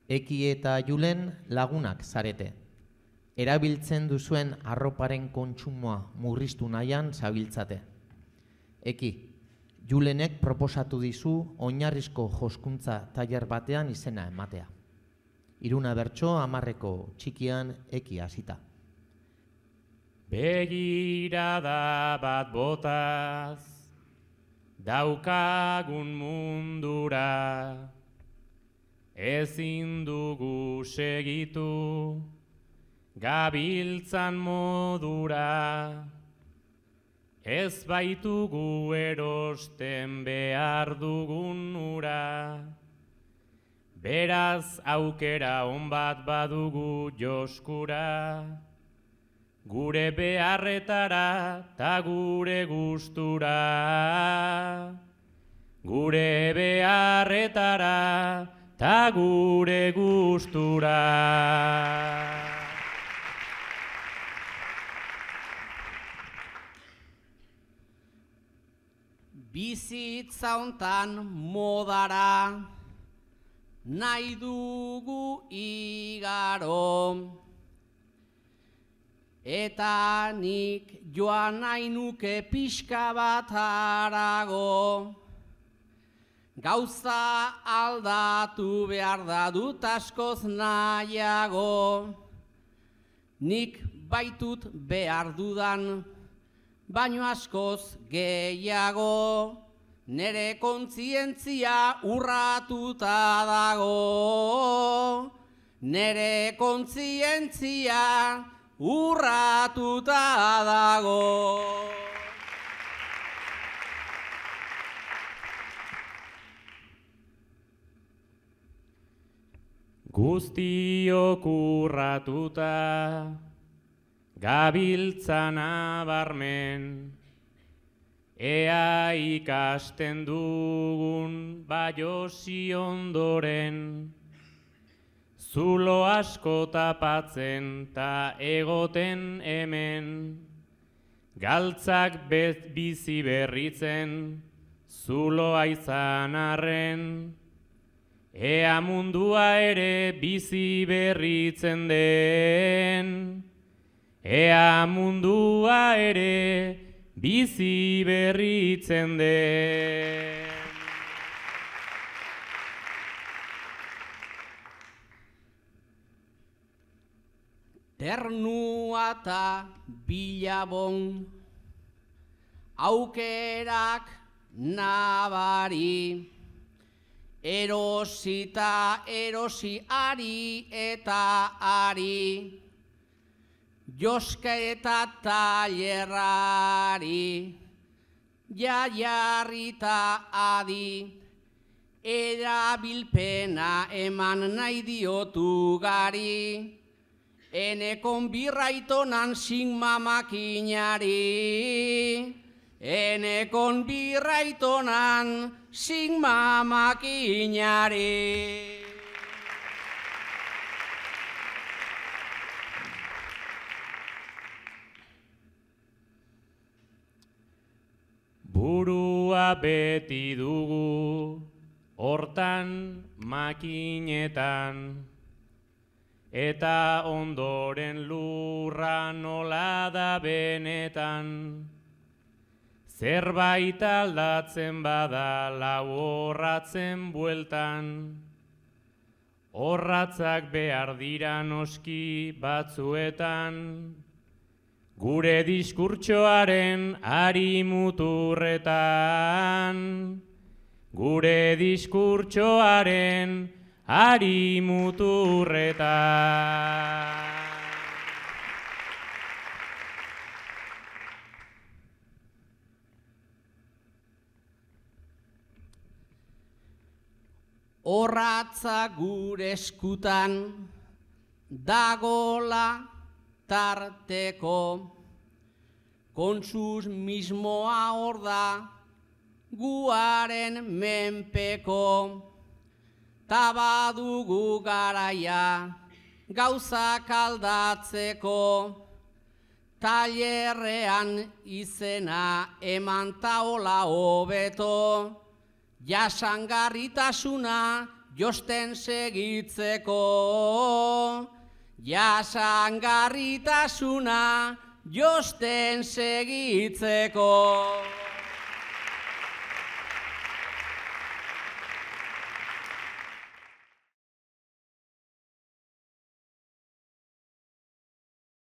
Eki eta Julen lagunak zarete. Erabiltzen duzuen arroparen kontsumoa murriztu nahian zabiltzate. Eki, Julenek proposatu dizu oinarrizko joskuntza tailer batean izena ematea. 3 bertso 10 txikian Eki hasita. Begirada bat botaz, daukagun mundura, ezin dugu segitu, gabiltzan modura, ez baitugu erosten behar dugun ura, beraz aukera on bat badugu joskura, gure beharretara ta gure gustura, gure beharretara ta gure gustura. Bizitza hontan modara nahi dugu igaro, eta nik joan nahi nuke pixka bat harago. Gauza aldatu behar da dut askoz nahiago, nik baitut behar dudan, baino askoz gehiago, nere kontzientzia urratuta dago, nere kontzientzia urratuta dago. Guztiok urratuta, gabiltzan abarmen, ea ikasten dugun baiosi ondoren, zulo asko tapatzen ta egoten hemen, galtzak bizi berritzen, zuloa izan arren, ea mundua ere bizi berritzen den, ea mundua ere bizi berritzen den. Ternua eta bilabon, aukerak nabari, erosita erosi ari eta ari, joska eta tailerrari, jarrita adi, erabilpena eman nahi diotu gari, enekon birraitonan sigma makinari, enekon birraitonan sigma makinari. Burua beti dugu, hortan makinetan, eta ondoren lurra nola da benetan. Zerbait aldatzen bada lau horratzen bueltan, horratzak behar dira noski batzuetan, gure diskurtsoaren ari muturretan, gure diskurtsoaren ari muturretan. Horratza gure eskutan dagola tarteko, kontsumismoa hor da guaren menpeko, ta badugu garaia gauzak aldatzeko, tailerrean izena eman taola hobeto, jasangarritasuna josten segitzeko, jasangarritasuna josten segitzeko.